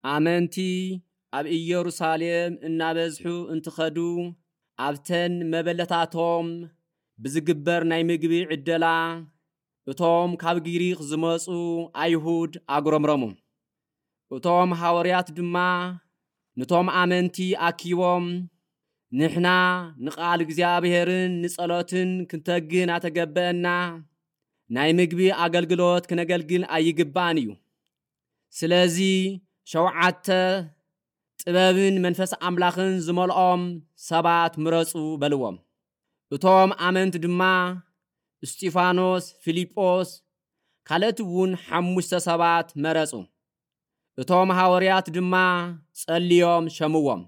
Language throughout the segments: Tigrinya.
ኣመንቲ ኣብ ኢየሩሳሌም እናበዝሑ እንትኸዱ፣ ኣብተን መበለታቶም ብዝግበር ናይ ምግቢ ዕደላ፣ እቶም ካብ ግሪኽ ዝመጹ ኣይሁድ ኣጉረምረሙ። እቶም ሃዋርያት ድማ ነቶም ኣመንቲ ኣኪቦም፣ "ንሕና ንቓል እግዚኣብሔርን ንጸሎትን ክንተግን ኣተገበአና፣ ናይ ምግቢ ኣገልግሎት ክነገልግል ኣይግባእን እዩ። ስለዚ ሸውዓተ ጥበብን መንፈስ ኣምላኽን ዝመልኦም ሰባት ምረጹ" በልዎም። እቶም ኣመንቲ ድማ እስጢፋኖስ፣ ፊልጶስ፣ ካልኦት እውን ሓሙሽተ ሰባት መረጹ። እቶም ሃዋርያት ድማ ጸልዮም ሸምዎም።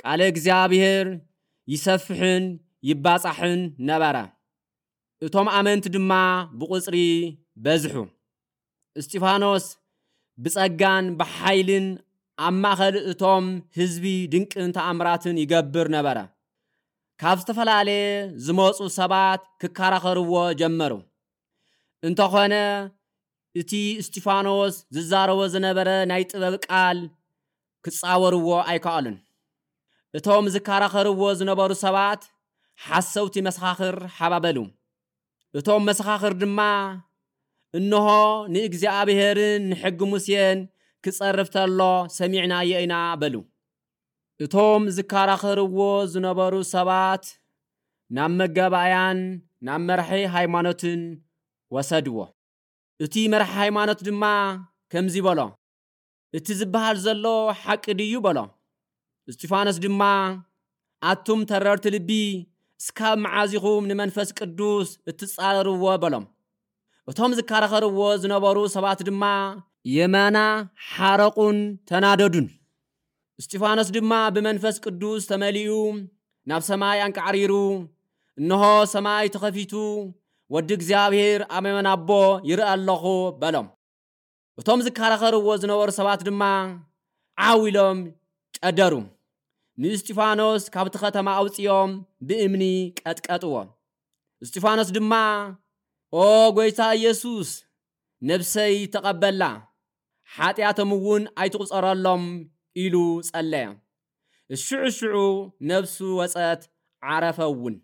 ቃለ እግዚኣብሔር ይሰፍሕን ይባጻሕን ነበረ። እቶም ኣመንቲ ድማ ብቑጽሪ በዝሑ። እስጢፋኖስ ብጸጋን ብሓይልን ኣብ ማእከል እቶም ህዝቢ ድንቅን ተኣምራትን ይገብር ነበረ። ካብ ዝተፈላለየ ዝመጹ ሰባት ክከራኸርዎ ጀመሩ። እንተኾነ እቲ እስጢፋኖስ ዝዛረቦ ዝነበረ ናይ ጥበብ ቃል ክጻወርዎ ኣይከኣሉን። እቶም ዝከራኸርዎ ዝነበሩ ሰባት ሓሰውቲ መሰኻኽር ሓባበሉ። እቶም መሰኻኽር ድማ፣ "እንሆ ንእግዚኣብሔርን ንሕጊ ሙሴን ክጸርፍ ተሎ ሰሚዕናዮ ኢና" በሉ። እቶም ዝከራኸርዎ ዝነበሩ ሰባት ናብ መጋባእያን ናብ መራሒ ሃይማኖትን ወሰድዎ። እቲ መራሒ ሃይማኖት ድማ ከምዚ በሎ፣ "እቲ ዝበሃል ዘሎ ሓቂ ድዩ?" በሎ። እስጢፋኖስ ድማ፣ "ኣቱም ተረርቲ ልቢ፣ እስካብ መዓዝ ኢኹም ንመንፈስ ቅዱስ እትጻረርዎ?" በሎም። እቶም ዝከራኸርዎ ዝነበሩ ሰባት ድማ የማና ሓረቑን ተናደዱን። እስጢፋኖስ ድማ ብመንፈስ ቅዱስ ተመሊኡ ናብ ሰማይ ኣንቃዕሪሩ፣ "እንሆ ሰማይ ተኸፊቱ፣ ወዲ እግዚኣብሔር ኣብ የማን ኣቦ ይርኢ ኣለኹ" በሎም። እቶም ዝከራኸርዎ ዝነበሩ ሰባት ድማ ዓው ኢሎም ጨደሩ። ንእስጢፋኖስ ካብቲ ከተማ ኣውጽኦም ብእምኒ ቀጥቀጥዎ። እስጢፋኖስ ድማ፣ "ኦ ጐይታ ኢየሱስ፣ ነብሰይ ተቐበላ፣ ሓጢኣቶም እውን ኣይትቑጸረሎም" ኢሉ ጸለየ። ሽዑ ሽዑ ነብሱ ወጸት፣ ዓረፈ እውን።